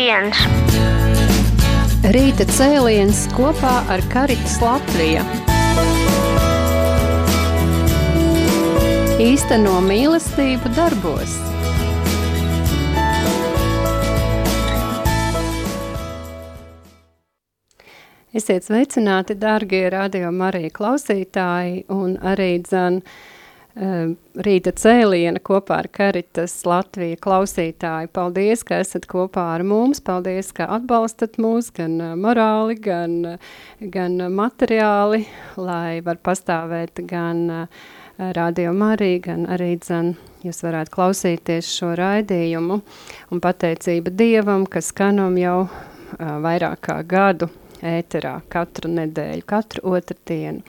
viens. Rīta cēliens kopā ar Caritas Latvija. Īsteno mīlestību darbos. Esiet sveicināti, dārgie Radio Marija klausītāji, un arī Rīta cēliena kopā ar Caritas Latvija klausītāji. Paldies, ka esat kopā ar mums, paldies, ka atbalstat mūs gan morāli, gan materiāli, lai var pastāvēt gan Radio Marija, gan arī jūs varētu klausīties šo raidījumu. Un pateicība Dievam, ka skanam jau vairāk kā gadu ēterā katru nedēļu, katru otrdienu.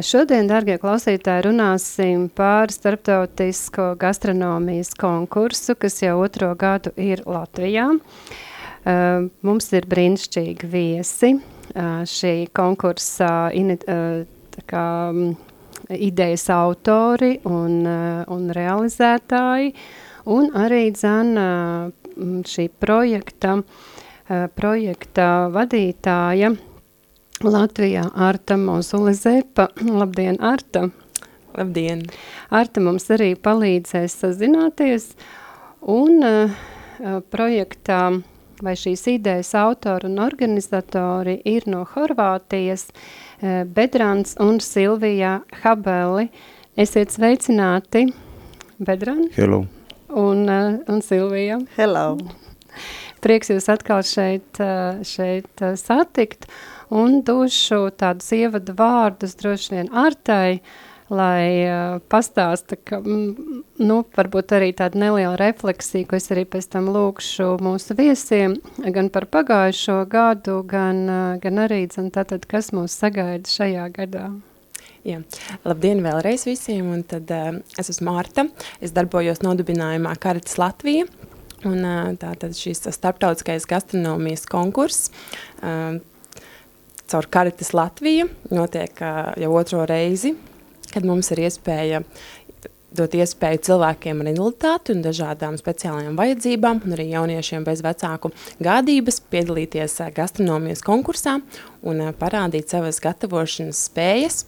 Šodien, dārgie klausītāji, runāsim par starptautisko gastronomijas konkursu, kas jau 2. gadu ir Latvijā. Mums ir brīnišķīgi viesi. Šī konkursa idejas autori un realizētāji, un arī šī projekta vadītāja Latvijā Arta Mozule-Zepa. Labdien, Arta! Labdien! Arta mums arī palīdzēs sazināties, un projektā vai šīs idejas autori un organizatori ir no Horvātijas Bedrans un Silvija Habeli. Esiet sveicināti, Bedran! Hello! Un Silvija! Hello! Prieks jūs atkal šeit satikt. Un došu tādus ievadu vārdus droši vien Artai, lai pastāsta, ka, varbūt arī tāda neliela refleksija, ko es arī pēc tam lūkšu mūsu viesiem, gan par pagājušo gadu, gan arī, tātad, kas mūs sagaida šajā gadā. Jā. Labdien vēlreiz visiem, un tad es esmu Marta, es darbojos nodibinājumā Caritas Latvija, un tātad šīs starptautiskais gastronomijas konkurss, caur Caritas Latviju notiek jau 2. reizi, kad mums ir iespēja dot iespēju cilvēkiem ar invaliditāti un dažādām speciālajām vajadzībām un arī jauniešiem bez vecāku gādības piedalīties gastronomijas konkursā un parādīt savas gatavošanas spējas.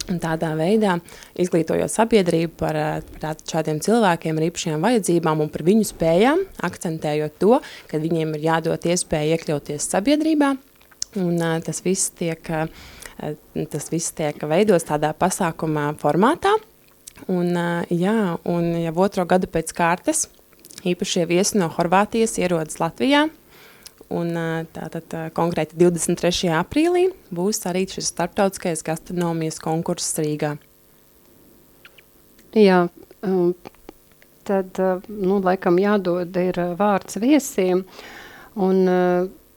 Un tādā veidā izglītojot sabiedrību par šādiem cilvēkiem ar īpašajām vajadzībām un par viņu spējām, akcentējot to, ka viņiem ir jādod iespēja iekļauties sabiedrībā. Un tas viss tiek veidots tādā pasākumā formātā. Un jau 2. gadu pēc kārtas īpašie viesi no Horvātijas ierodas Latvijā. Un tātad konkrēti 23. aprīlī būs arī šis starptautiskais gastronomijas konkurss Rīgā. Jā, tad, laikam jādod ir vārds viesiem. Un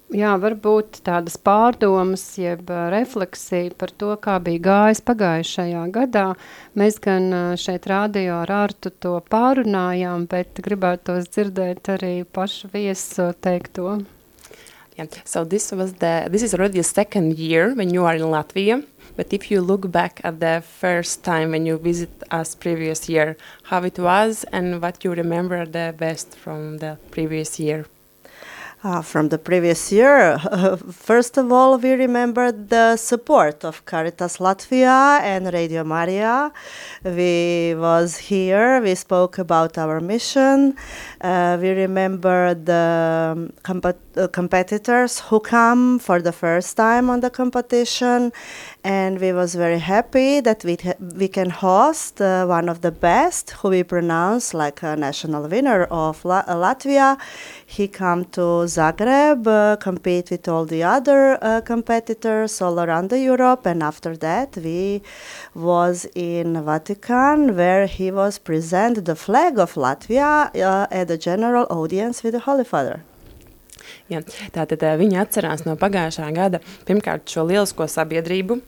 jā, varbūt tādas pārdomas, jeb refleksija par to, kā bija gājis pagājušajā gadā. Mēs gan šeit radio ar Artu to pārunājām, bet gribētos dzirdēt arī pašu viesu teikto. Yeah. So this is already the 2nd year when you are in Latvia, but if you look back at the first time when you visit us previous year, how it was and what you remember the best from the previous year? From the previous year, first of all, we remember the support of Caritas Latvija and Radio Marija. We was here, we spoke about our mission. We remember the competitors who come for the first time on the competition. And we was very happy that we can host one of the best, who we pronounce like a national winner of Latvia. He come to Zagreb, compete with all the other competitors all around Europe, and after that we was in Vatican, where he was present the flag of Latvia at the general audience with the Holy Father. Jā, tātad viņi atcerās no pagājušā gada pirmkārt šo lielisko sadarbību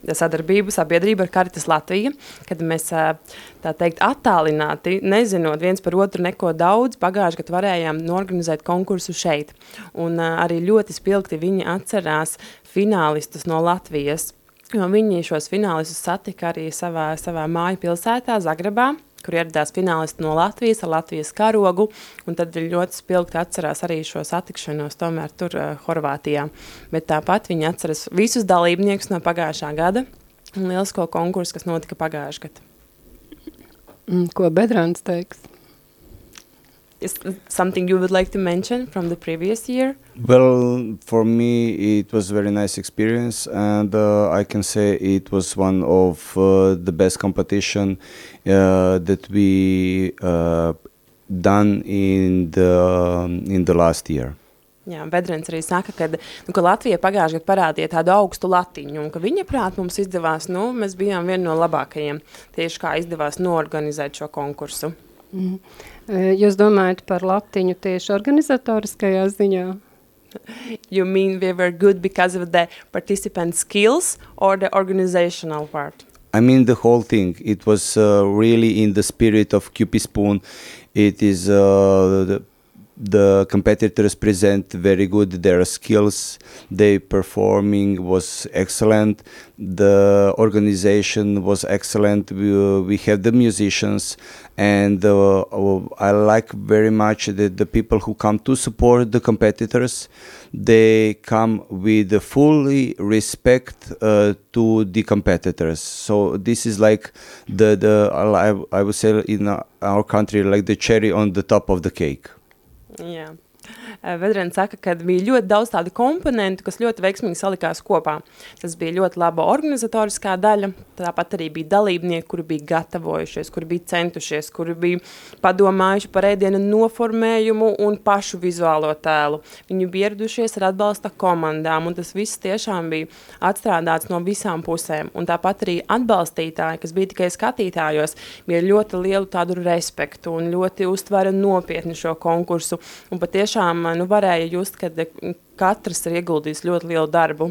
ar Caritas Latviju, kad mēs, tā teikt, attālināti, nezinot viens par otru neko daudz, pagājušajā gadā varējām norganizēt konkursu šeit. Un arī ļoti spilgti viņi atcerās finālistus no Latvijas, jo viņi šos finālistus satika arī savā māju pilsētā, Zagrebā. kur ieradās finālisti no Latvijas ar Latvijas karogu, un tad ļoti spilgti atcerās arī šo satikšanos tomēr tur Horvātijā. Bet tāpat viņi atceras visus dalībniekus no pagājušā gada un lielisko konkursu, kas notika pagājušā gada. Ko Bedrans teiks? Is something you would like to mention from the previous year? Well, for me, it was a very nice experience, and I can say it was one of the best competition that we done in the last year. Jā, Bedrens arī saka, ka Latvija pagājušajā gadā parādīja tādu augstu latiņu, un ka viņa prāt mums izdevās, mēs bijām vieni no labākajiem, tieši kā izdevās noorganizēt šo konkursu. Jūs domājat par latiņu tieši organizatoriskajā ziņā? You mean we were good because of the participant skills or the organizational part? I mean the whole thing. It was really in the spirit of QP Spoon. It is the competitors present very good their skills. Their performing was excellent. The organization was excellent. We have the musicians, and I like very much the people who come to support the competitors. They come with fully respect to the competitors. So this is like I would say in our country like the cherry on the top of the cake. Jā. Vedrens saka, ka bija ļoti daudz tādu komponentu, kas ļoti veiksmīgi salikās kopā. Tas bija ļoti laba organizatoriskā daļa, tāpat arī bija dalībnieki, kuri bija gatavojušies, kuri bija centušies, kuri bija padomājuši par ēdienu noformējumu un pašu vizuālo tēlu. Viņi bija ieradušies ar atbalsta komandām, un tas viss tiešām bija atstrādāts no visām pusēm. Un tāpat arī atbalstītāji, kas bija tikai skatītājos, bija ļoti lielu tādu respektu un ļoti uztvara nopietni šo konkursu. Un patiešām varēja just, ka katrs ir ieguldījis ļoti lielu darbu.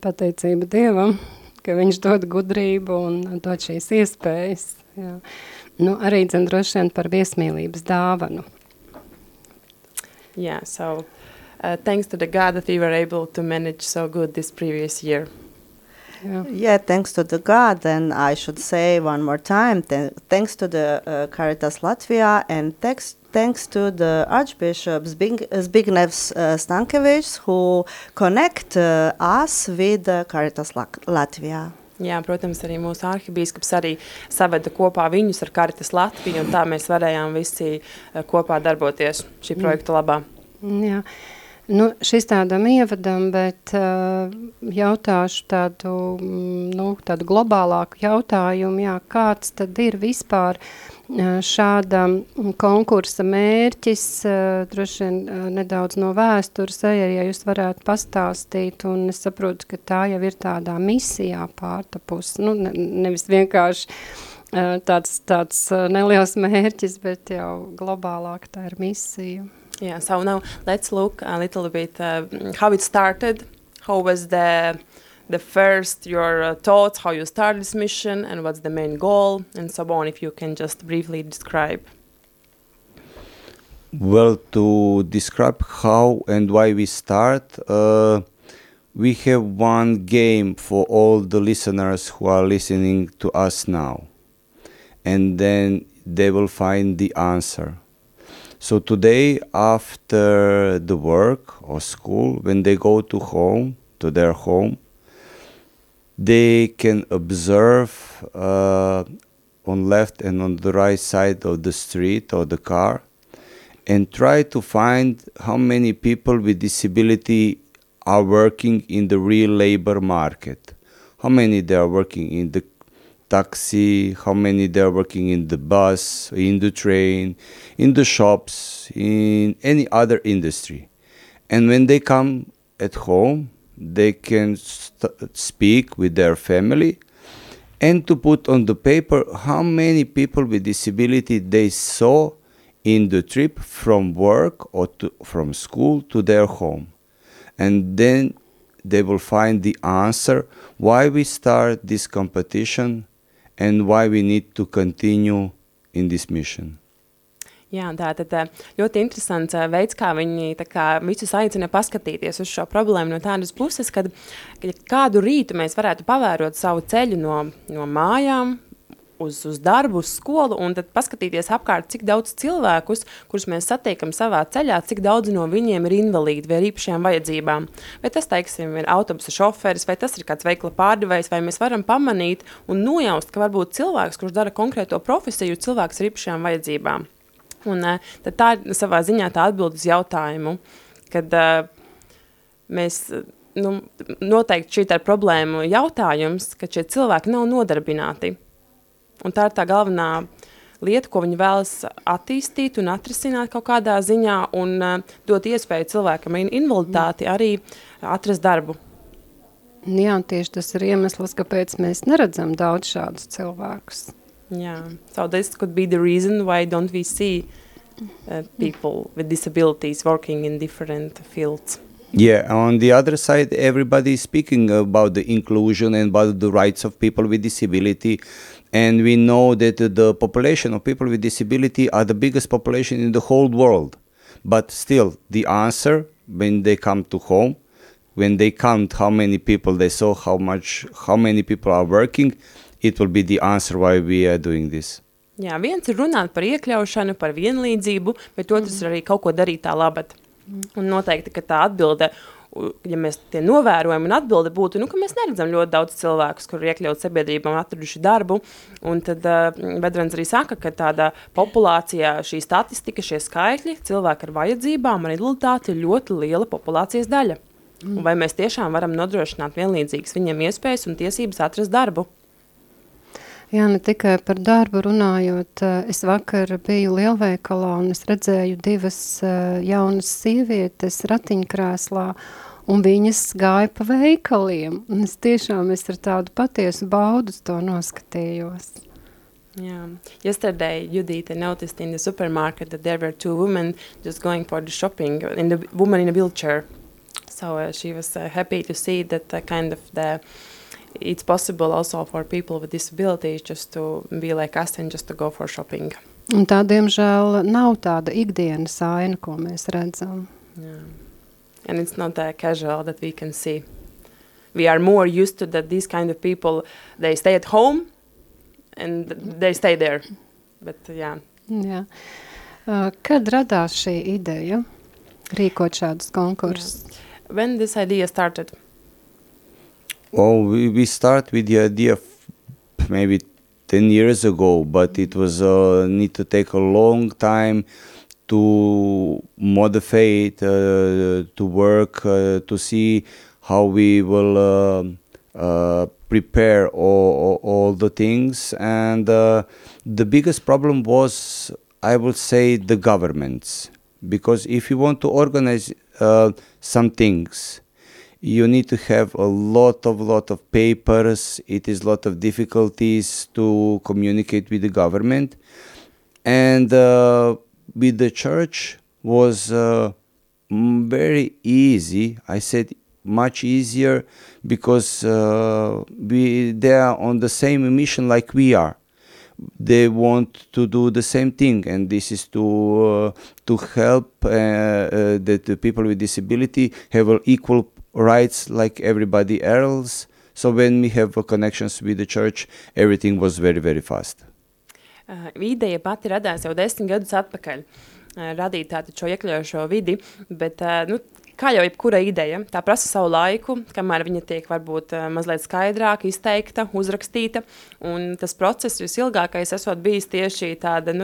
Pateicība Dievam, ka viņš dod gudrību un dod šīs iespējas. Jā. Arī droši vien par viesmīlības dāvanu. Yeah, so thanks to the God that we were able to manage so good this previous year. Yeah, thanks to the God, and I should say one more time, thanks to the Caritas Latvia, and thanks to the Archbishop Zbigniew Stankevičs, who connect us with Caritas Latvia. Jā, protams, arī mūsu arhibīskaps arī saveda kopā viņus ar Caritas Latviju, un tā mēs varējām visi kopā darboties šī projekta labā. Jā. Šis tādam ievadam, bet jautāšu tādu globālāku jautājumu, kāds tad ir vispār šāda konkursa mērķis, droši vien nedaudz no vēstures, ja jūs varētu pastāstīt, un es saprotu, ka tā jau ir tādā misijā pārtapus, nevis vienkārši tāds neliels mērķis, bet jau globālāk tā ir misija. Yeah, so now let's look a little bit how it started, how was the first, your thoughts, how you started this mission, and what's the main goal, and so on, if you can just briefly describe. Well, to describe how and why we start, we have one game for all the listeners who are listening to us now, and then they will find the answer. So today, after the work or school, when they go to their home, they can observe on left and on the right side of the street or the car and try to find how many people with disability are working in the real labor market. How many they are working in the taxi, how many they are working in the bus, in the train, in the shops, in any other industry. And when they come at home, they can speak with their family and to put on the paper how many people with disability they saw in the trip from work or from school to their home. And then they will find the answer why we start this competition and why we need to continue in this mission. Jā, tātad ļoti interesants veids, kā viņi visus aicina paskatīties uz šo problēmu no tādas puses, kad kādu rītu mēs varētu pavērot savu ceļu no mājām uz darbu, uz skolu, un tad paskatīties apkārt, cik daudz cilvēkus, kurus mēs satiekam savā ceļā, cik daudz no viņiem ir invalīdi vai ar īpašajām vajadzībām. Vai tas, teiksim, ir autobusa šoferis, vai tas ir kāds veikla pārdevējs, vai mēs varam pamanīt un nojaust, ka varbūt cilvēks, kurš dara konkrēto profesiju, cilvēks ar īpašajām vajadzībām. Un tad tā ir savā ziņā tā atbild uz jautājumu, kad mēs... noteikti šī ir problēma jautājums, ka šie cilvēki nav nodarbināti. Un tā ir tā galvenā lieta, ko viņi vēlas attīstīt un atrisināt kaut kādā ziņā un dot iespēju cilvēkam ar invaliditāti arī atrast darbu. Jā, tieši tas ir iemesls, kāpēc mēs neredzam daudz šādus cilvēkus. Yeah. So this could be the reason why don't we see people with disabilities working in different fields. Yeah, on the other side, everybody is speaking about the inclusion and about the rights of people with disability. And we know that the population of people with disability are the biggest population in the whole world. But still, the answer, when they come to home, when they count how many people they saw, how many people are working, it will be the answer why we are doing this. Jā, viens ir runāt par iekļaušanu, par vienlīdzību, bet otrs ir arī kaut ko darīt tā labad. Un noteikti, ka tā atbilde, ja mēs tie novērojam un atbilde būtu, ka mēs neredzam ļoti daudz cilvēkus, kur ir iekļaut sabiedrībām atraduši darbu, un tad Bedrans arī saka, ka tāda populācijā šī statistika, šie skaitļi, cilvēki ar vajadzībām, ar invaliditāti ir ļoti liela populācijas daļa. Un vai mēs tiešām varam nodrošināt vienlīdzīgas viņiem iespējas un tiesības atrast darbu? Jā, ne tikai par darbu runājot, es vakar biju lielveikalā un es redzēju divas jaunas sievietes ratiņkrēslā, un viņas gāja pa veikaliem, un es ar tādu patiesu baudu to noskatījos. Yeah. Yesterday, Judita noticed in the supermarket that there were two women just going for the shopping, and the woman in a wheelchair. So she was happy to see that it's possible also for people with disabilities just to be like us and just to go for shopping. Un tā, diemžēl, nav tāda ikdienas aina, ko mēs redzam. Yeah. And it's not that casual that we can see. We are more used to that these kind of people, they stay at home and they stay there. But, yeah. Jā. Kad radās šī ideja rīkot šādus konkursus? Yeah. When this idea started? Oh, we start with the idea maybe 10 years ago, but it was need to take a long time to modify it, to work, to see how we will prepare all the things. And the biggest problem was, I would say, the governments. Because if you want to organize some things, you need to have a lot of papers. It is a lot of difficulties to communicate with the government. And with the church was very easy. I said much easier because they are on the same mission like we are. They want to do the same thing, and this is to help that the people with disability have equal rights like everybody else. So when we have connections with the church, everything was very, very fast. Ideja pati radās jau 10 gadus atpakaļ, radīt tātad šo iekļaujošo vidi, bet, kā jau jebkura ideja, tā prasa savu laiku, kamēr viņa tiek varbūt mazliet skaidrāk izteikta, uzrakstīta, un tas process visilgākais esot bijis tieši tāda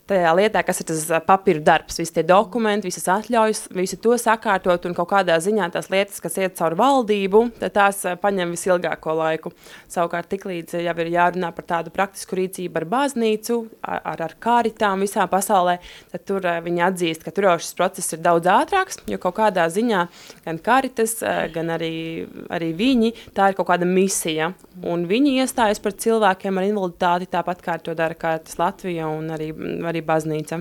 tajā lietā, kas ir tas papīra darbs, visi tie dokumenti, visas atļaujas, visu to sakārtot un kaut kādā ziņā tās lietas, kas iet caur valdību, tad tās paņem visilgāko laiku. Savukārt tiklīdz jau ir jārunā par tādu praktisku rīcību ar baznīcu, ar kāritām visā pasaulē, tad tur viņi atzīst, ka tur jau šis process ir daudz ātrāks, jo kaut kādā ziņā gan kāritas, gan arī viņi, tā ir kaut kāda misija. Un viņi iestājas par cilvēkiem ar invaliditāti, tāpat kā to dara Kāritas Latvija un arī baznīca.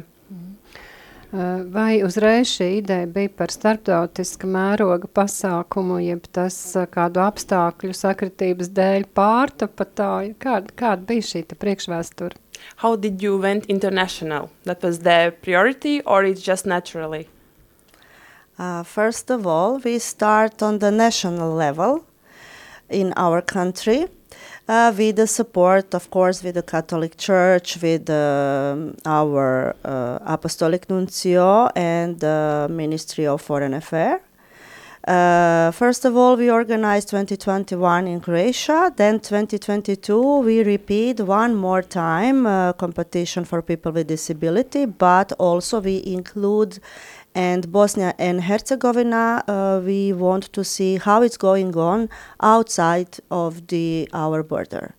Vai uzreiz šī ideja bija par starptautiska mēroga pasākumu, jeb tas kādu apstākļu sakritības dēļ pārtapa tā? Kāda bija šī priekšvēsture? How did you went international? That was the priority or it's just naturally? First of all, we start on the national level in our country. with the support, of course, with the Catholic Church, with our Apostolic Nuncio and the Ministry of Foreign Affairs. First of all, we organized 2021 in Croatia. Then 2022, we repeat one more time competition for people with disability, but also we include and Bosnia and Herzegovina. We want to see how it's going on outside of our border.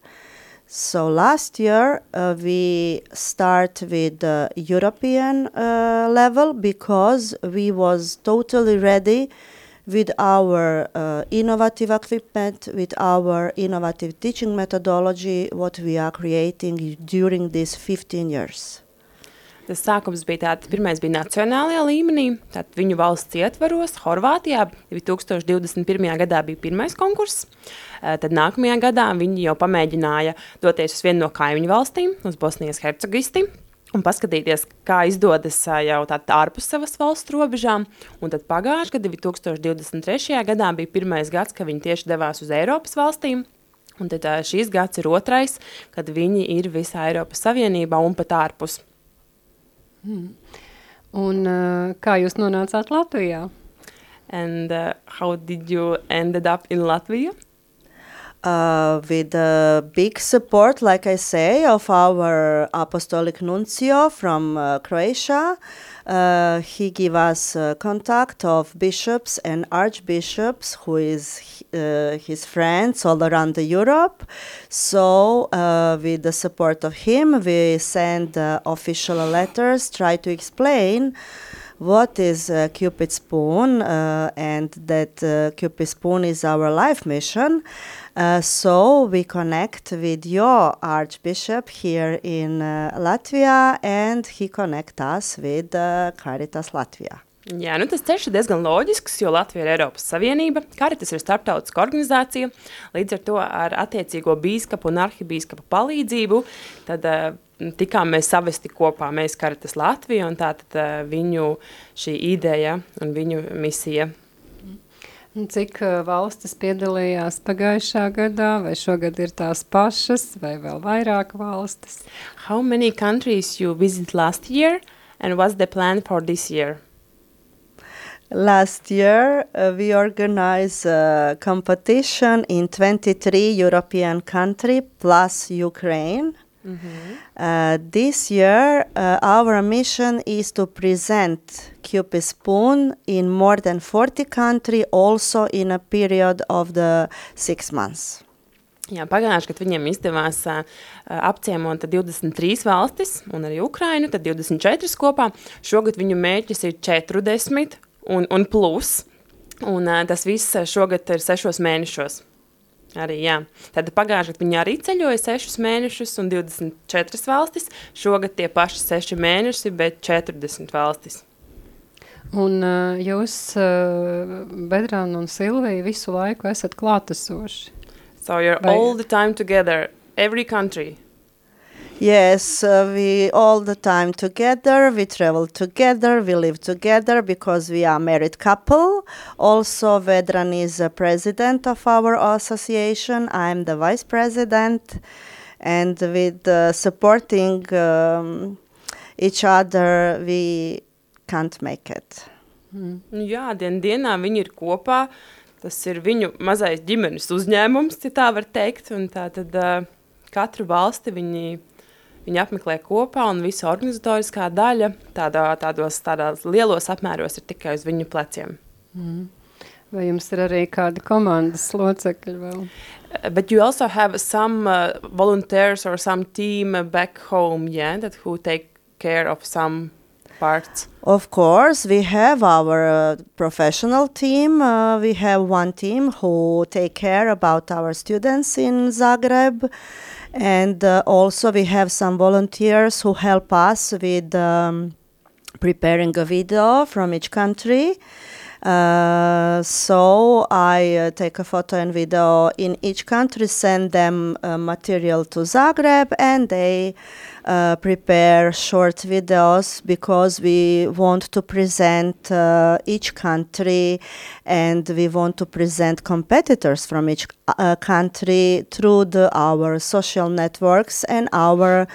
So last year we start with the European level because we was totally ready with our innovative equipment, with our innovative teaching methodology, what we are creating during these 15 years. Tas sākums bija tāds, pirmais bija nacionālajā līmenī, tātad viņu valsts ietvaros, Horvātijā, 2021. gadā bija pirmais konkurss, tad nākamajā gadā viņi jau pamēģināja doties uz vienu no kaimiņu valstīm, uz Bosnijas Hercegovistu, un paskatīties, kā izdodas jau tātad ārpus savas valsts robežām, un tad pagājušajā gadā, 2023. gadā bija pirmais gads, ka viņi tieši devās uz Eiropas valstīm, un tad šīs gads ir otrais, kad viņi ir visā Eiropas Savienībā un pat ārpus. Un kā jūs nonācāt Latvijā? And how did you ended up in Latvia? With big support, like I say, of our Apostolic Nuncio from Croatia. He gave us contact of bishops and archbishops who is his friends all around Europe. So with the support of him, we send official letters, try to explain what is Cupid Spoon and that Cupid Spoon is our life mission. So we connect with your Archbishop here in Latvia, and he connect us with Caritas Latvia. Jā, nu tas ceļš ir diezgan loģisks, jo Latvija ir Eiropas Savienība, Caritas ir starptautiska organizācija, līdz ar to ar attiecīgo bīskapu un arhibīskapu palīdzību, tad tikām mēs savesti kopā, mēs Caritas Latvija, un tātad viņu šī ideja un viņu misija. Cik valstis piedalījās pagājušā gadā, vai šogad ir tās pašas, vai vēl vairāk valstis? How many countries you visit last year, and what's the plan for this year? Last year, we organized a competition in 23 European countries plus Ukraine. This year, our mission is to present Cupid Spoon in more than 40 countries, also in a period of the 6 months. Jā, pagājuši, kad viņiem izdevās apciemot 23 valstis un arī Ukrainu, tad 24 kopā. Šogad viņu mērķis ir 40 un plus, un tas viss šogad ir 6 mēnešos. Arī, jā. Tad pagājuši, kad viņi arī ceļoja 6 mēnešus un 24 valstis, šogad tie paši 6 mēneši, bet 40 valstis. Un jūs, Bedrāna un Silvija, visu laiku esat klātesoši? So you're all the time together, every country? Yes, we all the time together, we travel together, we live together because we are a married couple. Also, Vedran is a president of our association, I'm the vice president, and with supporting each other, we can't make it. Jā, dienā viņi ir kopā, tas ir viņu mazais ģimenes uzņēmums, ja tā var teikt, un tā tad katru valsti viņi apmeklē kopā, un visa organizatoriskā daļa tādos lielos apmēros ir tikai uz viņu pleciem. Vai jums ir arī kādi komandas locekļi vēl? But you also have some volunteers or some team back home, yeah, that who take care of some parts? Of course, we have our professional team. We have one team who take care about our students in Zagreb. And also we have some volunteers who help us with preparing a video from each country. So I take a photo and video in each country, send them material to Zagreb, and they prepare short videos because we want to present each country, and we want to present competitors from each country through our social networks and our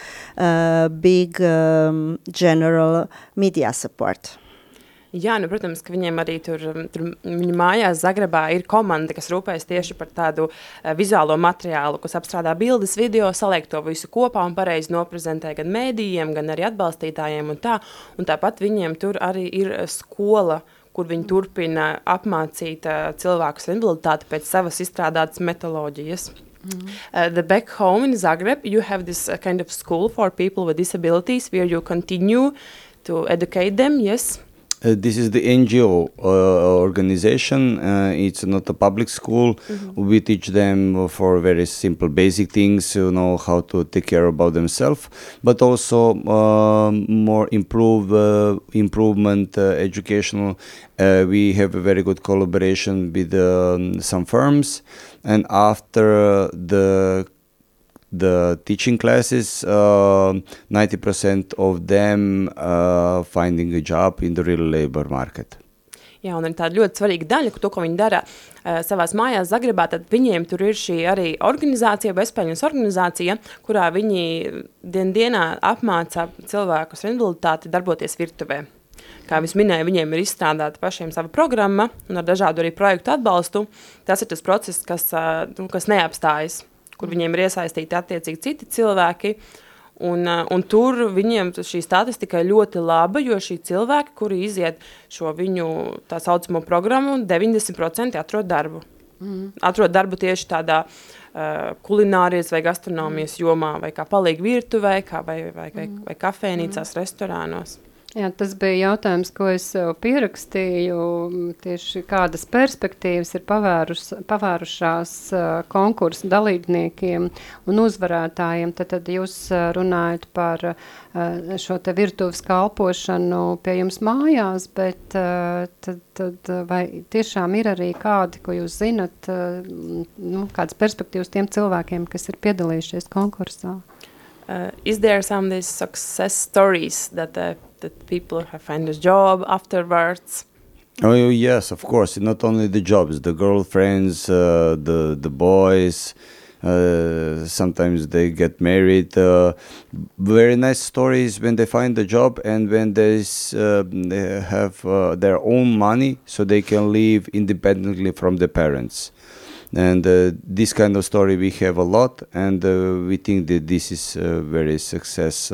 big general media support. Jā, protams, ka viņiem arī tur viņu mājās Zagrebā ir komanda, kas rūpējas tieši par tādu vizuālo materiālu, kas apstrādā bildes, video, saliek to visu kopā un pareizi noprezentē gan mēdījiem, gan arī atbalstītājiem un tā. Un tāpat viņiem tur arī ir skola, kur viņi turpina apmācīt cilvēkus ar invaliditāti pēc savas izstrādātas metoloģijas. The back home in Zagreb, you have this kind of school for people with disabilities where you continue to educate them, yes? This is the NGO organization. It's not a public school. We teach them for very simple, basic things, how to take care about themselves, but also more improvement, educational. We have a very good collaboration with some firms, and after the teaching classes, 90% of them finding a job in the real labor market. Jā, un ir tāda ļoti svarīga daļa, to, ko viņi dara savās mājās Zagrebā, tad viņiem tur ir šī arī organizācija, bezpēļņas organizācija, kurā viņi dienā apmāca cilvēkus ar invaliditāti darboties virtuvē. Kā es minēju, viņiem ir izstrādāta pašiem sava programma un ar dažādu arī projektu atbalstu. Tas ir tas process, kas neapstājas, kur viņiem ir iesaistīti attiecīgi citi cilvēki, un tur viņiem šī statistika ir ļoti laba, jo šī cilvēki, kuri iziet šo viņu tā saucamo programmu, 90% atrod darbu. Atrod darbu tieši tādā kulinārijas vai gastronomijas jomā, vai kā palīgi virtuvē, vai kafēnīcās, restorānos. Jā, tas bija jautājums, ko es pierakstīju, tieši kādas perspektīvas ir pavērušās konkursu dalībniekiem un uzvarētājiem. Tad jūs runājat par šo te virtuves kalpošanu pie jums mājās, bet tad vai tiešām ir arī kādi, ko jūs zinat, kādas perspektīvas tiem cilvēkiem, kas ir piedalījušies konkursā? Is there some these success stories that people have found a job afterwards? Oh yes, of course. Not only the jobs, the girlfriends, the boys. Sometimes they get married. Very nice stories when they find a job and when they have their own money, so they can live independently from the parents. And this kind of story we have a lot, and we think that this is very success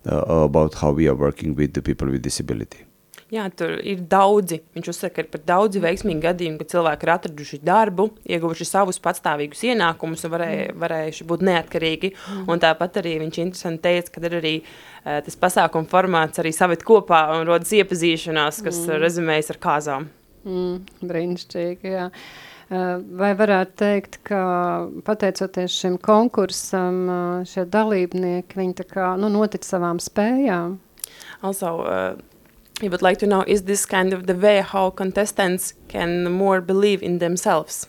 about how we are working with the people with disability. Jā, tur ir daudzi. Viņš uzsaka, ka ir pat daudzi veiksmīgi gadījumi, ka cilvēki ir atraduši darbu, ieguvuši savus patstāvīgus ienākumus un varējuši būt neatkarīgi. Un tāpat arī viņš interesanti teica, ka ir arī tas pasākuma formāts arī saved kopā un rodas iepazīšanās, kas rezumējas ar kāzām. Brīnišķīgi, jā. Vai varētu teikt, ka pateicoties šim konkursam, šie dalībnieki, viņi tā kā notic savām spējām? Also, I would like to know, is this kind of the way how contestants can more believe in themselves?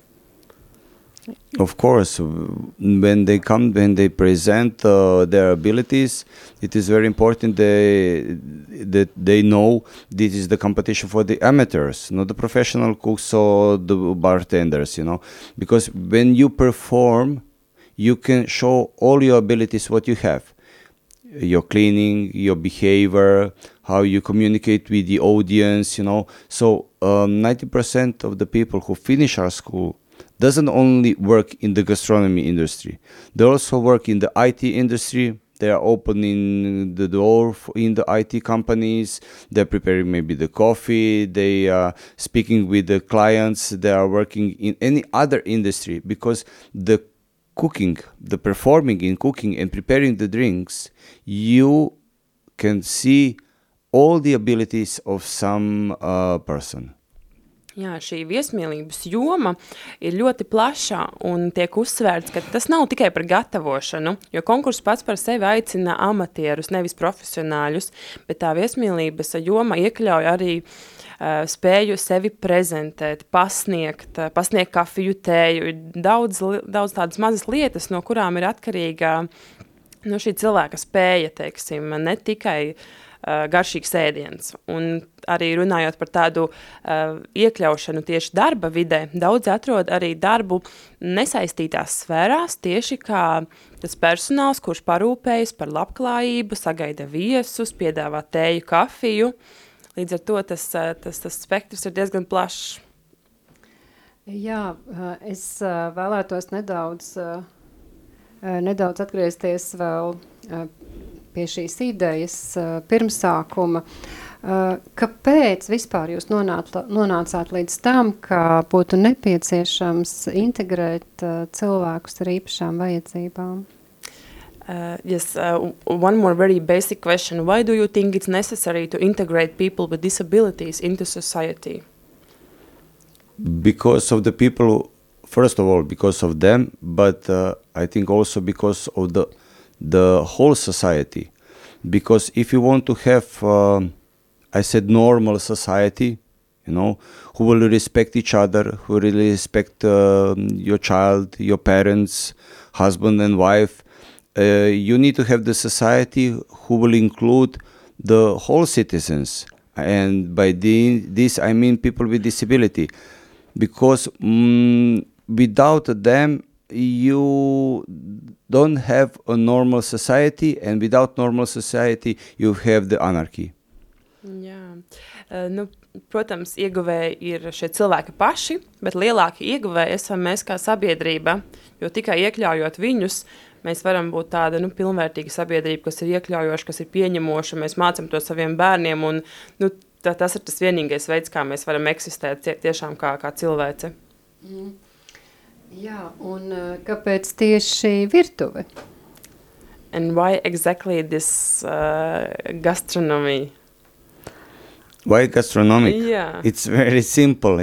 Of course, when they present their abilities, it is very important that they know this is the competition for the amateurs, not the professional cooks or the bartenders, because when you perform, you can show all your abilities, what you have, your cleaning, your behavior, how you communicate with the audience, So 90% of the people who finish our school doesn't only work in the gastronomy industry. They also work in the IT industry. They are opening the door in the IT companies. They're preparing maybe the coffee. They are speaking with the clients. They are working in any other industry, because the cooking, the performing in cooking and preparing the drinks, you can see all the abilities of some person. Jā, šī viesmīlības joma ir ļoti plaša un tiek uzsvērts, ka tas nav tikai par gatavošanu, jo konkurss pats par sevi aicina amatierus, nevis profesionāļus, bet tā viesmīlības joma iekļauj arī spēju sevi prezentēt, pasniegt kafiju, tēju, daudz tādas mazas lietas, no kurām ir atkarīga šī cilvēka spēja, teiksim, ne tikai garšīgs ēdiens. Un arī runājot par tādu iekļaušanu tieši darba vidē, daudz atrod arī darbu nesaistītās sfērās, tieši kā tas personāls, kurš parūpējas par labklājību, sagaida viesus, piedāvā tēju, kafiju. Līdz ar to tas spektrs ir diezgan plašs. Jā, es vēlētos nedaudz atgriezties vēl pie šīs idejas pirmsākuma. Kāpēc vispār jūs nonācāt līdz tam, ka būtu nepieciešams integrēt cilvēkus ar īpašām vajadzībām? Yes, one more very basic question. Why do you think it's necessary to integrate people with disabilities into society? Because of the people, first of all, because of them, but I think also because of the whole society. Because if you want to have, I said, normal society, who will respect each other, who will respect your child, your parents, husband and wife, you need to have the society who will include the whole citizens. And by this, I mean people with disability. Because without them, you don't have a normal society, and without normal society, you have the anarchy. Jā, protams, ieguvēji ir šie cilvēki paši, bet lielāki ieguvēji esam mēs kā sabiedrība, jo tikai iekļaujot viņus, mēs varam būt tāda pilnvērtīga sabiedrība, kas ir iekļaujoša, kas ir pieņemoša, mēs mācam to saviem bērniem, un tas ir tas vienīgais veids, kā mēs varam eksistēt tiešām kā cilvēce. Jā, un kāpēc tieši virtuve? And why exactly this gastronomy? Why gastronomic? Yeah. It's very simple,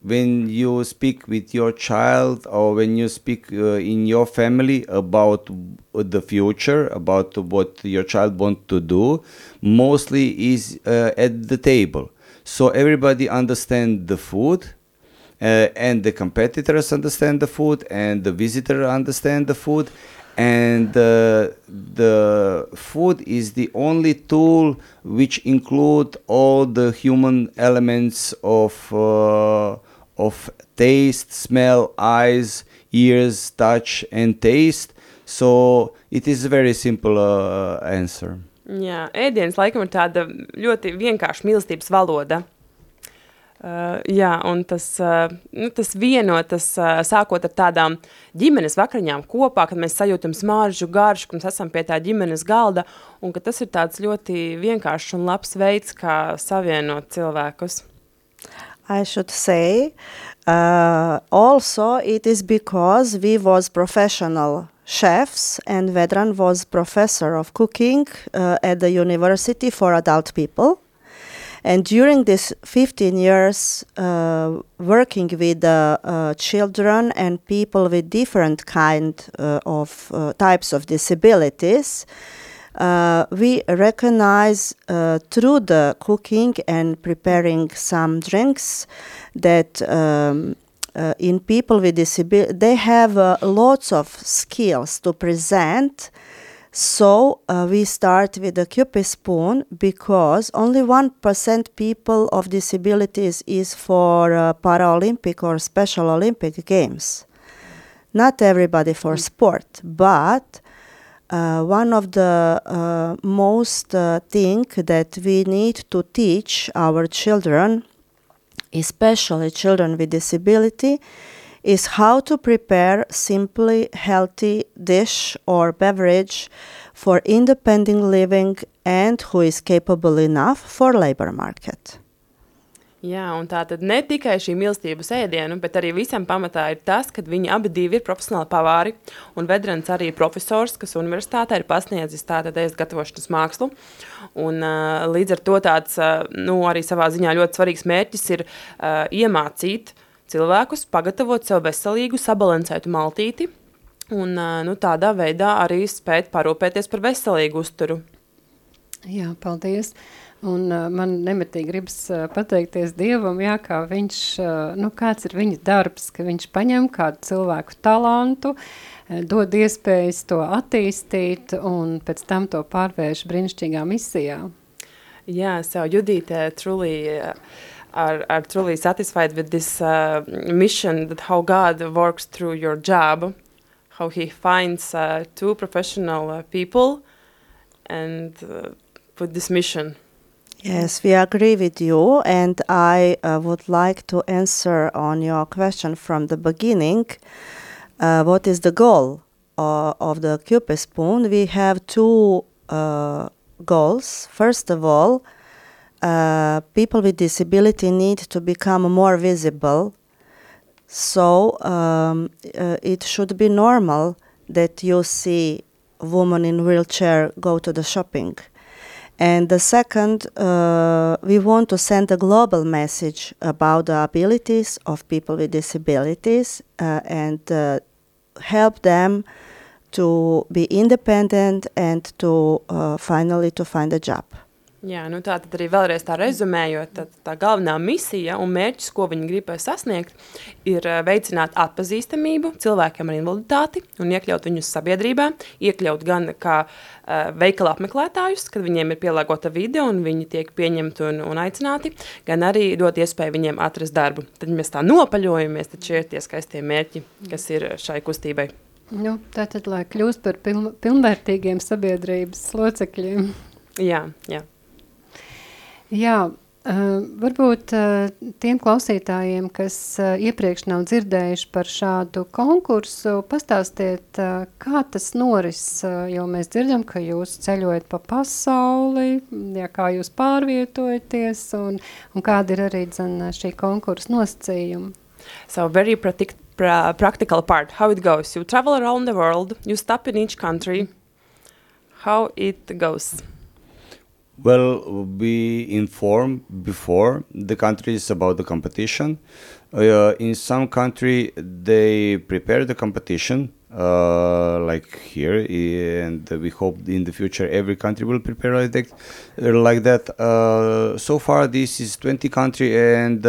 when you speak with your child or when you speak in your family about the future, about what your child wants to do, mostly is at the table. So everybody understands the food, and the competitors understand the food, and the visitor understand the food, and the food is the only tool which include all the human elements of taste, smell, eyes, ears, touch, and taste. So it is a very simple answer. Jā, ēdienas laikam ir tāda ļoti vienkārša mīlestības valoda. Jā, un tas vienotas, sākot ar tādām ģimenes vakariņām kopā, kad mēs sajūtam smaržu, garšu, kad mēs esam pie tā ģimenes galda, un ka tas ir tāds ļoti vienkāršs un labs veids, kā savienot cilvēkus. I should say, also it is because we was professional chefs and Vedran was professor of cooking at the university for adult people. And during this 15 years working with children and people with different of types of disabilities, we recognize through the cooking and preparing some drinks that in people with disability, they have lots of skills to present. So we start with the Cupid spoon because only 1% people of disabilities is for Paralympic or Special Olympic Games. Not everybody for sport, but one of the most thing that we need to teach our children, especially children with disability, is how to prepare simply healthy dish or beverage for independent living and who is capable enough for labor market. Jā, un tā tad ne tikai šī mīlestība uz ēdienu, bet arī visam pamatā ir tas, ka viņi abi divi ir profesionāli pavāri, un Vedrans arī ir profesors, kas universitātē ir pasniedzis tātad ēst gatavošanas mākslu, un līdz ar to tāds, arī savā ziņā ļoti svarīgs mērķis ir iemācīt cilvēkus, pagatavot sev veselīgu, sabalansētu maltīti, un tādā veidā arī spēt parūpēties par veselīgu uzturu. Jā, paldies. Un man nemitīgi gribas pateikties Dievam, jā, kā viņš, kāds ir viņa darbs, ka viņš paņem kādu cilvēku talantu, dod iespējas to attīstīt un pēc tam to pārvērš brīnišķīgā misijā. Yeah, so Judith truly are truly satisfied with this mission, that how God works through your job, how he finds two professional people and with this mission. Yes, we agree with you, and I would like to answer on your question from the beginning. What is the goal of the Cupid Spoon? We have two goals. First of all, people with disability need to become more visible. So it should be normal that you see a woman in wheelchair go to the shopping. And the second, we want to send a global message about the abilities of people with disabilities and help them to be independent and to finally to find a job. Jā, tā tad arī vēlreiz tā rezumējot, tā galvenā misija un mērķis, ko viņi grib sasniegt, ir veicināt atpazīstamību cilvēkiem ar invaliditāti un iekļaut viņus sabiedrībā, iekļaut gan kā veikala apmeklētājus, kad viņiem ir pielāgota vide un viņi tiek pieņemti un aicināti, gan arī dot iespēju viņiem atrast darbu. Tad mēs tā nopaļojamies, tad šie ir tie skaistie mērķi, kas ir šai kustībai. Tātad, lai kļūst par pilnvērtīgiem sabiedrības locekļiem. Jā. Jā, varbūt tiem klausītājiem, kas iepriekš nav dzirdējuši par šādu konkursu, pastāstiet, kā tas noris, jo mēs dzirdam, ka jūs ceļojat pa pasauli, kā jūs pārvietojaties un kāda ir arī šī konkursa nosacījuma. So very practical part, how it goes. You travel around the world, you stop in each country. How it goes? Well, we inform before the countries about the competition. In some country, they prepare the competition, like here, and we hope in the future every country will prepare like that. So far, this is 20 countries, and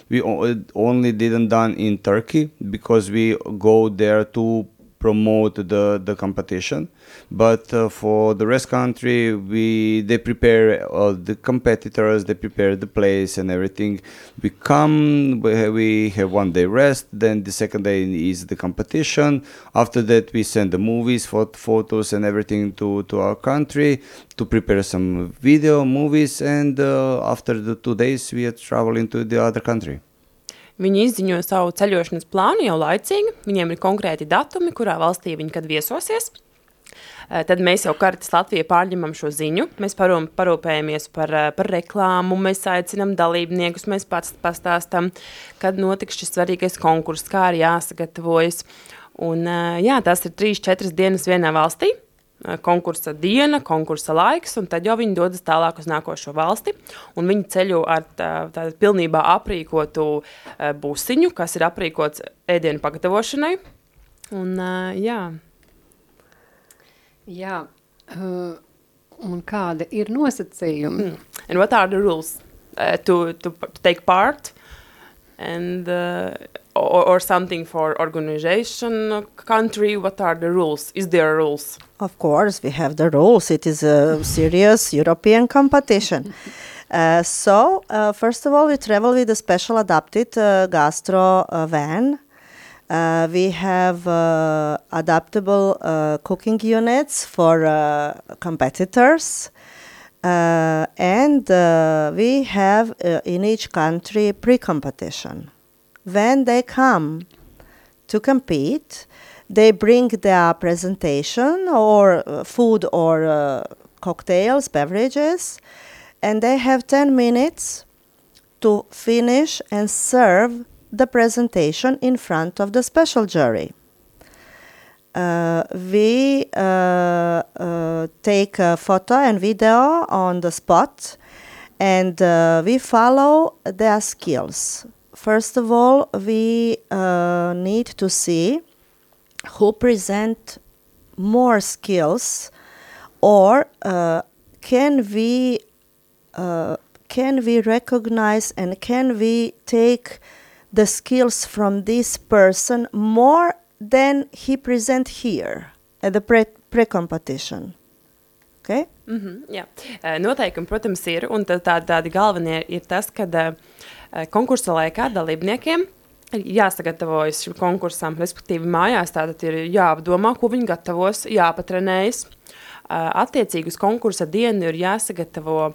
we only didn't done in Turkey because we go there to promote the competition, but for the rest country they prepare the competitors, they prepare the place and everything. We come, we have 1 day rest, then the second day is the competition. After that we send the movies, photos and everything to our country to prepare some video movies, and after the 2 days we are traveling to the other country. Viņi izziņo savu ceļošanas plānu jau laicīgi, viņiem ir konkrēti datumi, kurā valstī viņi kad viesosies. Tad mēs jau Caritas Latvija pārņemam šo ziņu, mēs parūpējamies par reklāmu, mēs aicinam dalībniekus, mēs pats pastāstam, kad notiks šis svarīgais konkurss, kā ir jāsagatavojas. Un tas ir 3-4 dienas vienā valstī. Konkursa diena, konkursa laiks, un tad jau viņi dodas tālāk uz nākošo valsti, un viņi ceļo ar tādu pilnībā aprīkotu busiņu, kas ir aprīkots ēdienu pagatavošanai, un un kādi ir nosacījumi? And what are the rules to take part, and or something for organization country? What are the rules? Is there rules? Of course, we have the rules. It is a serious European competition. So, first of all, we travel with a special adapted gastro van. We have adaptable cooking units for competitors. And we have in each country pre-competition. When they come to compete, they bring their presentation or food or cocktails, beverages, and they have 10 minutes to finish and serve the presentation in front of the special jury. We take a photo and video on the spot, and we follow their skills. First of all, we need to see who present more skills, or can we recognize and can we take the skills from this person more than he present here at the pre-competition. Okay? Jā. Noteikumi, protams, ir, un tādi galvenie ir tas, ka konkursa laikā dalībniekiem ir jāsagatavojas šim konkursam, respektīvi mājās tātad ir jāapdomā, ko viņi gatavos, jāpatrenējas. Attiecīgi uz konkursa dienu ir jāsagatavo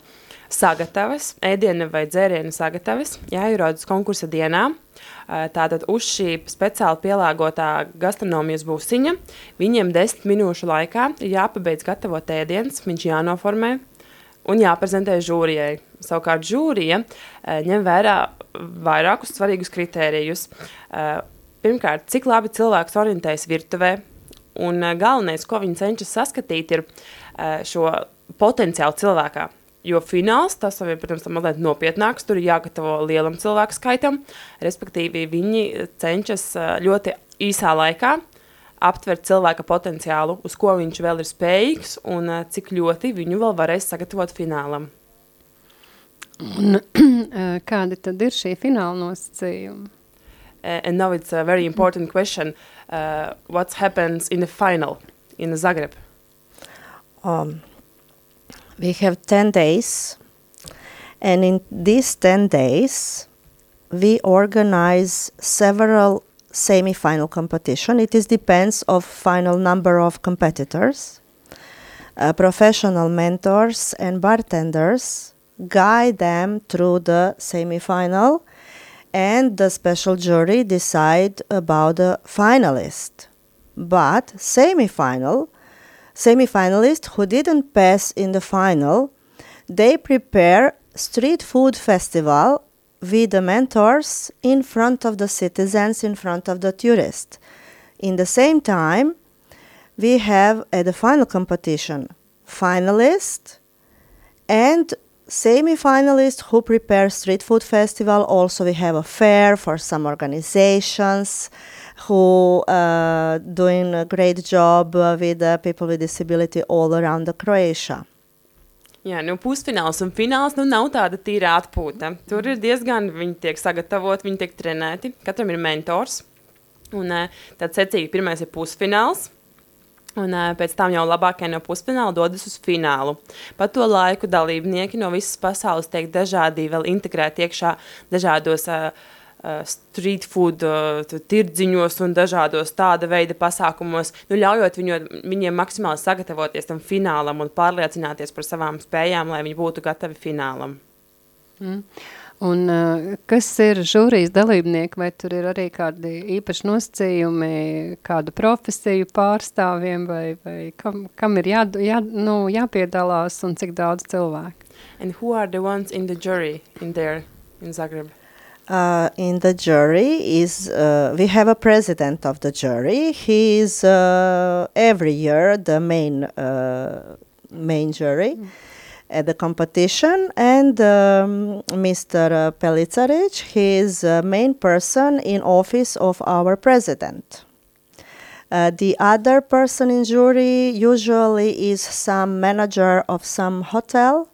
sagatavas, ēdiena vai dzēriena sagatavas, jāierodas konkursa dienā. Tātad uz šī speciāli pielāgotā gastronomijas būsiņa viņiem 10 minūšu laikā ir jāpabeidz gatavot ēdienas, viņš jānoformē un jāprezentē žūrijai. Savukārt žūrija ņem vērā vairākus svarīgus kritērijus. Pirmkārt, cik labi cilvēks orientējas virtuvē, un galvenais, ko viņi cenšas saskatīt, ir šo potenciālu cilvēkā. Jo fināls, tas jau ir, protams, mazliet nopietnāks, tur ir jāgatavo lielam cilvēku skaitam, respektīvi viņi cenšas ļoti īsā laikā aptvert cilvēka potenciālu, uz ko viņš vēl ir spējīgs un cik ļoti viņu vēl varēs sagatavot finālam. Un kādi tad ir šie fināla nosacījumi? And now it's a very important question. What happens in the final in Zagreb? We have 10 days, and in these 10 days, we organize several semi-final competition. It depends of final number of competitors. Professional mentors and bartenders guide them through the semi-final, and the special jury decide about the finalist. But semi-finalists who didn't pass in the final, they prepare street food festival with the mentors in front of the citizens, in front of the tourists. In the same time, we have at the final competition finalists and semi-finalists who prepare street food festival. Also we have a fair for some organizations who doing a great job with people with disability all around Croatia. Jā, pusfināls un fināls nav tāda tīra atpūta. Tur ir diezgan, viņi tiek sagatavoti, viņi tiek trenēti, katram ir mentors. Un tad secīgi pirmais ir pusfināls, un pēc tam jau labākie no pusfināla dodas uz finālu. Pa to laiku dalībnieki no visas pasaules tiek dažādi vēl integrēti iekšā dažādos street food tirdziņos un dažādos tāda veida pasākumos, ļaujot viņiem maksimāli sagatavoties tam finālam un pārliecināties par savām spējām, lai viņi būtu gatavi finālam. Un kas ir žūrijas dalībnieki, vai tur ir arī kādi īpaši nosacījumi, kādu profesiju pārstāvjiem, vai kam ir jāpiedalās un cik daudz cilvēku? And who are the ones in the jury in Zagreb? In the jury we have a president of the jury. He is every year the main jury at the competition, and Mr. Pelicaric, he is the main person in office of our president. The other person in jury usually is some manager of some hotel,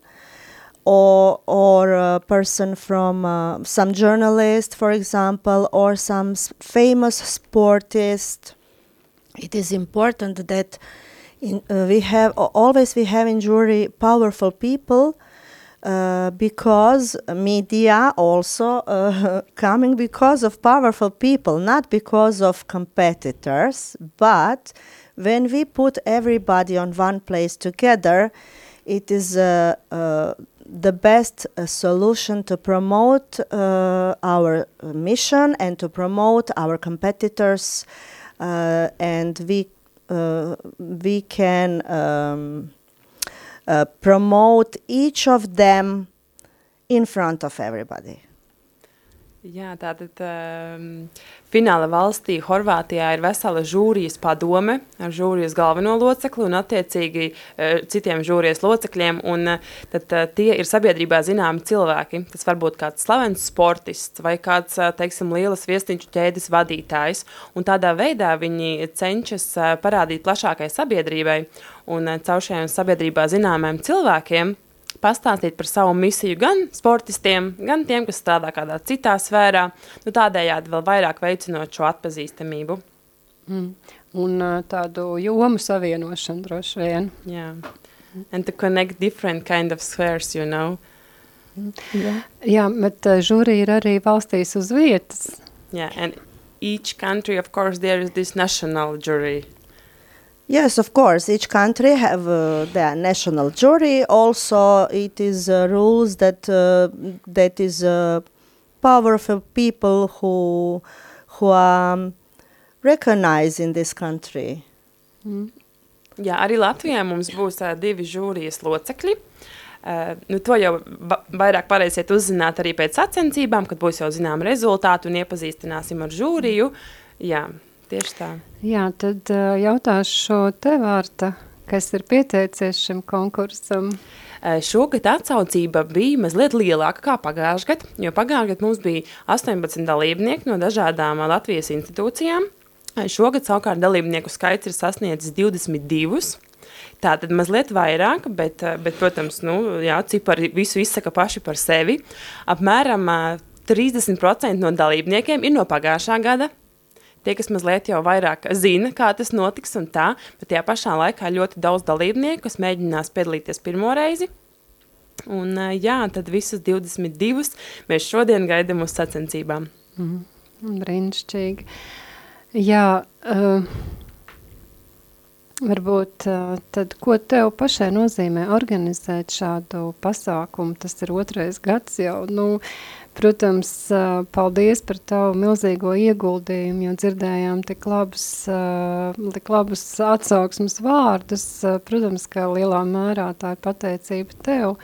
or a person from some journalist, for example, or some famous sportist. It is important that we have in jury powerful people, because media also coming because of powerful people, not because of competitors. But when we put everybody on one place together, it is the best solution to promote our mission and to promote our competitors, and we can promote each of them in front of everybody. Jā, tātad fināla valstī Horvātijā ir vesela žūrijas padome ar žūrijas galveno locekli un attiecīgi citiem žūrijas locekļiem, un tad tie ir sabiedrībā zināmi cilvēki. Tas var būt kāds slavens sportists vai kāds, teiksim, lielas viestinču ķēdes vadītājs, un tādā veidā viņi cenšas parādīt plašākai sabiedrībai un caur šiem sabiedrībā zināmiem cilvēkiem pastāstīt par savu misiju gan sportistiem, gan tiem, kas strādā kādā citā sfērā, nu tādējādi vēl vairāk veicinot šo atpazīstamību. Un tādu jomu savienošanu droši vien. Yeah. And to connect different kind of spheres, you know. Jā, bet žūri ir arī valstīs uz vietas. Yeah, and each country, of course, there is this national jury. Yes, of course, each country have their national jury. Also, it is rules that is powerful people who are recognized in this country. Jā, arī Latvijā mums būs divi žūrijas locekļi. Nu, to jau vairāk varēsiet uzzināt arī pēc sacensībām, kad būs jau zinām rezultāti un iepazīstināsim ar žūriju. Jā. Tieši tā. Jā, tad jautāšu tev, Vārta, kas ir pieteicies šim konkursam? Šogad atsaucība bija mazliet lielāka kā pagājušgad, jo pagājušgad mums bija 18 dalībnieki no dažādām Latvijas institūcijām. Šogad savukārt dalībnieku skaits ir sasniedzis 22. Tātad mazliet vairāk, bet protams, nu, jā, cipari visu izsaka paši par sevi. Apmēram 30% no dalībniekiem ir no pagājušā gada. Tie, kas mazliet jau vairāk zina, kā tas notiks un tā, bet tajā pašā laikā ļoti daudz dalībnieku, kas mēģinās piedalīties pirmo reizi. Un jā, tad visus 22 mēs šodien gaidām uz sacensībām. Brīnišķīgi. Jā, varbūt tad, ko tev pašai nozīmē organizēt šādu pasākumu? Tas ir 2. gads jau, nu, protams, paldies par tavu milzīgo ieguldījumu, jo dzirdējām tik labus atsauksmes vārdus. Protams, ka lielā mērā tā ir pateicība tev,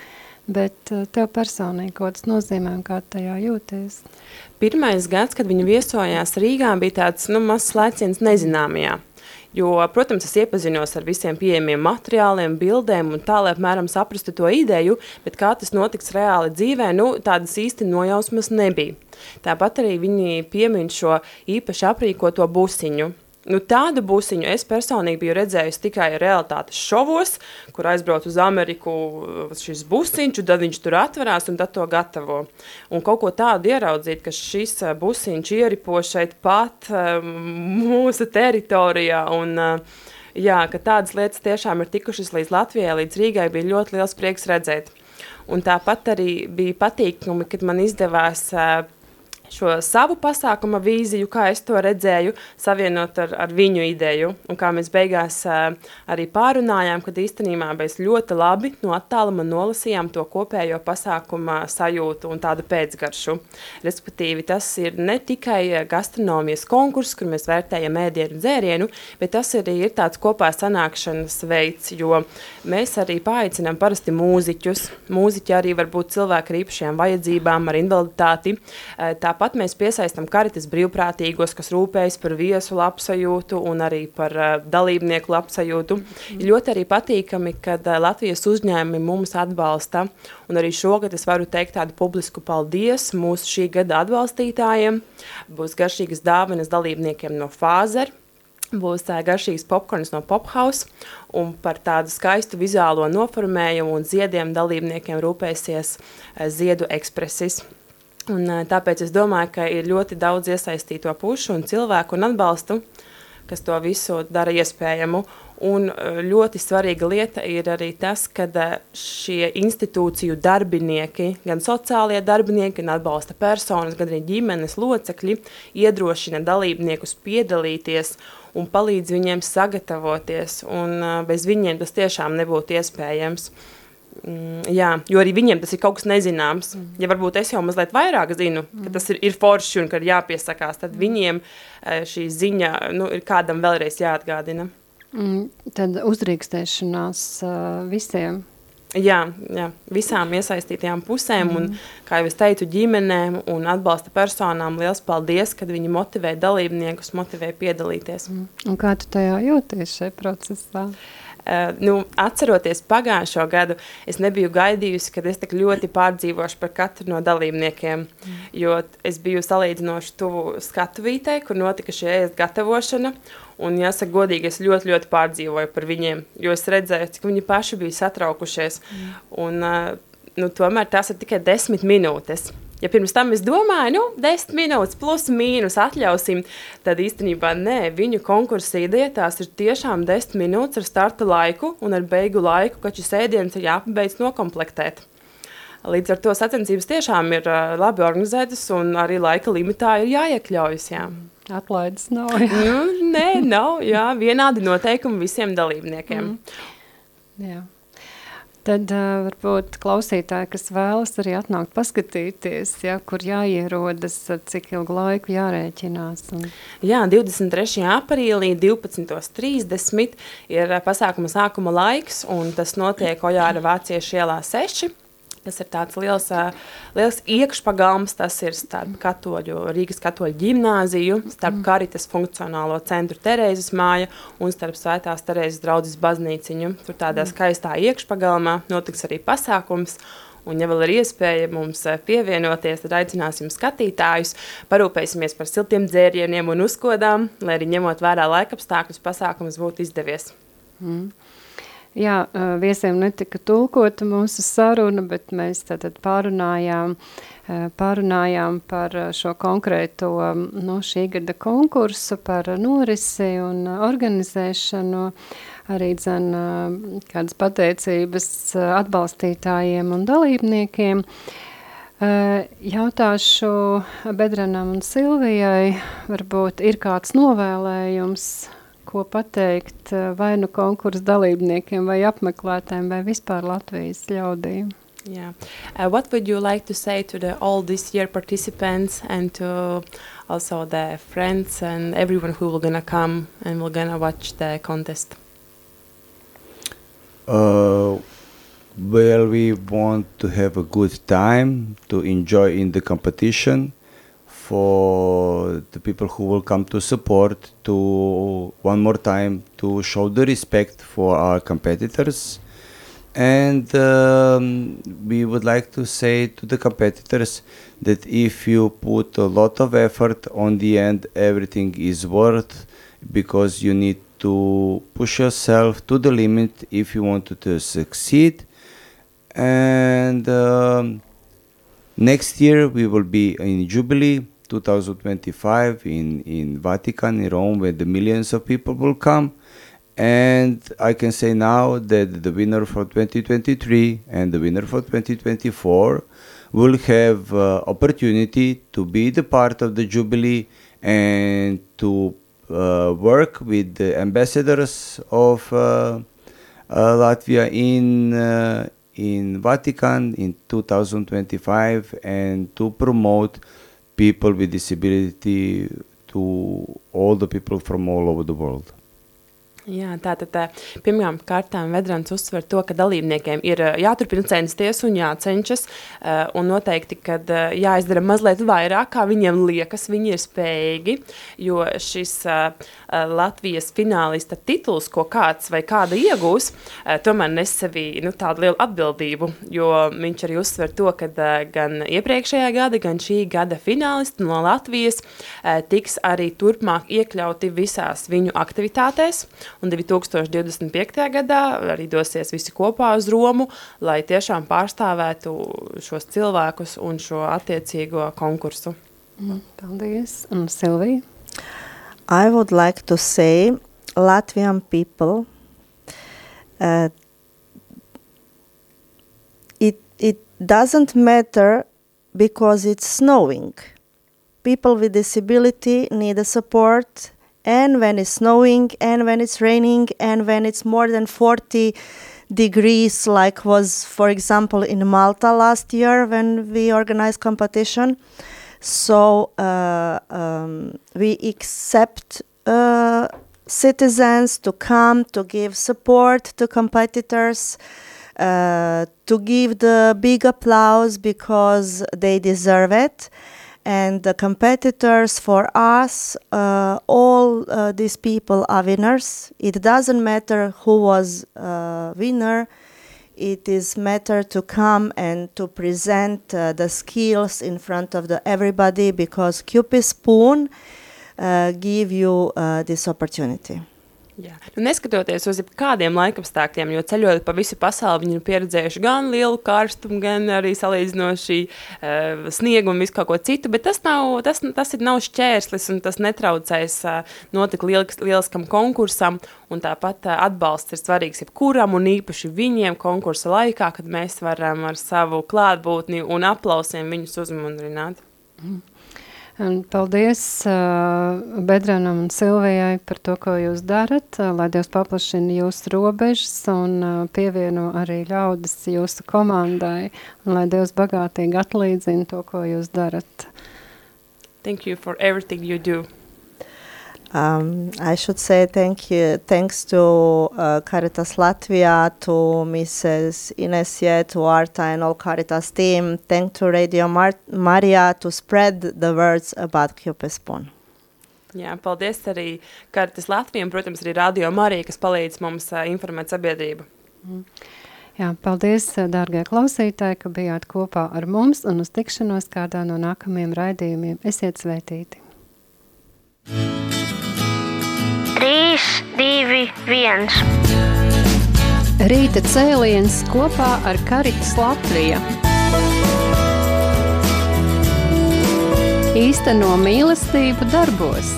bet tev personīgi, ko tas nozīmē un kā tajā jūties? Pirmais gads, kad viņi viesojās Rīgā, bija tāds, nu, mazs lēciens nezināmajā. Jo, protams, es iepazinos ar visiem pieejamiem materiāliem, bildēm un tā, lai apmēram saprastu to ideju, bet kā tas notiks reāli dzīvē, nu, tādas īsti nojausmas nebija. Tāpat arī viņi piemin šo īpaši aprīkoto busiņu. Nu, tādu busiņu es personīgi biju redzējusi tikai realitātes šovos, kur aizbrauc uz Ameriku šis busiņš, tad viņš tur atverās un tad to gatavo. Un kaut ko tādu ieraudzīt, ka šis busiņš ieripo šeit pat mūsu teritorijā un jā, ka tādas lietas tiešām ir tikušas līdz Latvijai, līdz Rīgai, bija ļoti liels prieks redzēt. Un tāpat arī bija patīkumi, kad man izdevās šo savu pasākuma vīziju, kā es to redzēju, savienot ar viņu ideju. Un kā mēs beigās arī pārunājām, kad īstenībā mēs ļoti labi no attāluma nolasījām to kopējo pasākuma sajūtu un tādu pēcgaršu. Respektīvi, tas ir ne tikai gastronomijas konkurss, kur mēs vērtējam ēdienu dzērienu, bet tas arī ir tāds kopā sanākšanas veids, jo mēs arī paaicinām parasti mūziķus. Mūziķi arī var būt cilvēki ar īpašajām vajadzībām, ar invaliditāti. Tāpat mēs piesaistam Karitas brīvprātīgos, kas rūpējas par viesu labsajūtu un arī par dalībnieku labsajūtu. Ir ļoti arī patīkami, kad Latvijas uzņēmumi mums atbalsta, un arī šogad es varu teikt tādu publisku paldies mūsu šī gada atbalstītājiem. Būs garšīgas dāvanas dalībniekiem no Fāzer, būs garšīgs popkorns no Pophouse, un par tādu skaistu vizuālo noformējumu un ziediem dalībniekiem rūpēsies Ziedu ekspresis. Un tāpēc es domāju, ka ir ļoti daudz iesaistīto pušu un cilvēku un atbalstu, kas to visu dara iespējamu. Un ļoti svarīga lieta ir arī tas, ka šie institūciju darbinieki, gan sociālie darbinieki, gan atbalsta personas, gan arī ģimenes locekļi iedrošina dalībniekus piedalīties un palīdz viņiem sagatavoties. Un bez viņiem tas tiešām nebūtu iespējams. Jā, jo arī viņiem tas ir kaut kas nezināms. Ja varbūt es jau mazliet vairāk zinu, ka tas ir forši un ka ir jāpiesakās, tad viņiem šī ziņa ir kādam vēlreiz jāatgādina. Tad uzdrīkstēšanās visiem Jā, visām iesaistītajām pusēm un, kā jau es teicu, ģimenēm un atbalsta personām liels paldies, kad viņi motivē dalībniekus, motivē piedalīties. Un kā tu tajā jūties šajā procesā? Atceroties pagājušo gadu, es nebiju gaidījusi, kad es tik ļoti pārdzīvošu par katru no dalībniekiem, jo es biju salīdzinoši tuvu skatuvītei, kur notika šī ēst gatavošana, un jāsaka godīgi, es ļoti, ļoti pārdzīvoju par viņiem, jo es redzēju, cik viņi paši bija satraukušies, un tomēr tās ir tikai 10 minūtes. Ja pirms tam es domāju, 10 minūtes plus mīnus atļausim, tad īstenībā nē, viņu konkursa ideja tās ir tiešām 10 minūtes ar starta laiku un ar beigu laiku, ka šis ēdiens ir jāpabeidz nokomplektēt. Līdz ar to sacensības tiešām ir labi organizētas un arī laika limitā ir jāiekļaujas, jā. Atlaides nav, jā. Nē, nav, jā, vienādi noteikumi visiem dalībniekiem. Jā. Tad varbūt klausītāji, kas vēlas arī atnākt paskatīties, ja, kur jāierodas, cik ilgu laiku jārēķinās. Jā, 23. aprīlī 12:30 ir pasākuma sākuma laiks, un tas notiek Ojāra Vāciešu ielā 6. Tas ir tāds liels iekšpagalms, tas ir starp Rīgas katoļu ģimnāziju, starp Karitas funkcionālo centru Terēzes māja un starp Svētās Terēzes draudzes baznīciņu. Tur tādā skaistā iekšpagalmā notiks arī pasākums, un ja vēl ir iespēja mums pievienoties, tad aicināsim skatītājus, parūpēsimies par siltiem dzērieniem un uzkodām, lai arī ņemot vērā laikapstākļus pasākums būtu izdevies. Jā, viesiem netika tulkota mūsu saruna, bet mēs tātad pārunājām par šo konkrēto šī gada konkursu, par norisi un organizēšanu, arī kādas pateicības atbalstītājiem un dalībniekiem. Jautāšu Bedranam un Silvijai, varbūt ir kāds novēlējums, ko pateikt vai nu konkursu dalībniekiem, vai apmeklētājiem, vai vispār Latvijas ļaudīm? Yeah. What would you like to say to all this year participants and to also the friends and everyone who will gonna come and will gonna watch the contest? Well, we want to have a good time, to enjoy in the competition. For the people who will come to support, to one more time to show the respect for our competitors, and we would like to say to the competitors that if you put a lot of effort, on the end everything is worth, because you need to push yourself to the limit if you want to succeed. And next year we will be in Jubilee 2025 in Vatican, in Rome, where the millions of people will come. And I can say now that the winner for 2023 and the winner for 2024 will have opportunity to be the part of the Jubilee and to work with the ambassadors of Latvia in Vatican in 2025 and to promote people with disability to all the people from all over the world. Jā, tātad pirmām kārtām Vedrans uzsver to, ka dalībniekiem ir jāturpina censties un jācenšas, un noteikti, kad jāizdara mazliet vairāk, kā viņiem liekas, viņi ir spējīgi, jo šis Latvijas finālista tituls, ko kāds vai kāda iegūs, tomēr nes sevī tādu lielu atbildību, jo viņš arī uzsver to, ka gan iepriekšējā gada, gan šī gada finālisti no Latvijas tiks arī turpmāk iekļauti visās viņu aktivitātēs, un 2025. gadā arī dosies visi kopā uz Romu, lai tiešām pārstāvētu šos cilvēkus un šo attiecīgo konkursu. Paldies. Un Silvija? I would like to say, Latvian people, it doesn't matter because it's snowing. People with disability need a support, and when it's snowing, and when it's raining, and when it's more than 40 degrees, like was, for example, in Malta last year when we organized competition. So we accept citizens to come to give support to competitors. to give the big applause because they deserve it. And the competitors for us, all these people are winners. It doesn't matter who was winner. It is matter to come and to present the skills in front of everybody because Cupid Spoon give you this opportunity. Jā. Neskatoties uz kādiem laikapstākļiem, jo ceļojot pa visu pasauli, viņi ir pieredzējuši gan lielu karstumu, gan arī salīdzinoši sniegu un visu kaut ko citu, bet tas nav šķērslis un tas netraucēs notikt lieliskam konkursam, un tāpat atbalsts ir svarīgs jebkuram un īpaši viņiem konkursa laikā, kad mēs varam ar savu klātbūtni un aplausiem viņus uzmundrināt. Un paldies Bedranam un Silvijai par to, ko jūs darat, lai Dievs paplašina jūsu robežas un pievieno arī ļaudis jūsu komandai, un lai Dievs bagātīgi atlīdzina to, ko jūs darat. Thank you for everything you do. I should say thanks to Caritas Latvia, to Mrs. Inesie, to Arta and all Caritas team. Thanks to Radio Maria to spread the words about Cupid Spoon. Jā, paldies arī Caritas Latvija un, protams, arī Radio Marija, kas palīdz mums informēt sabiedrību. Jā, paldies, dārgie klausītāji, ka bijāt kopā ar mums un uz tikšanos kādā no nākamajiem raidījumiem. Esiet svētīti! 3, 2, 1. Rīta cēliens kopā ar Caritas Latvija. Īsteno mīlestību darbos.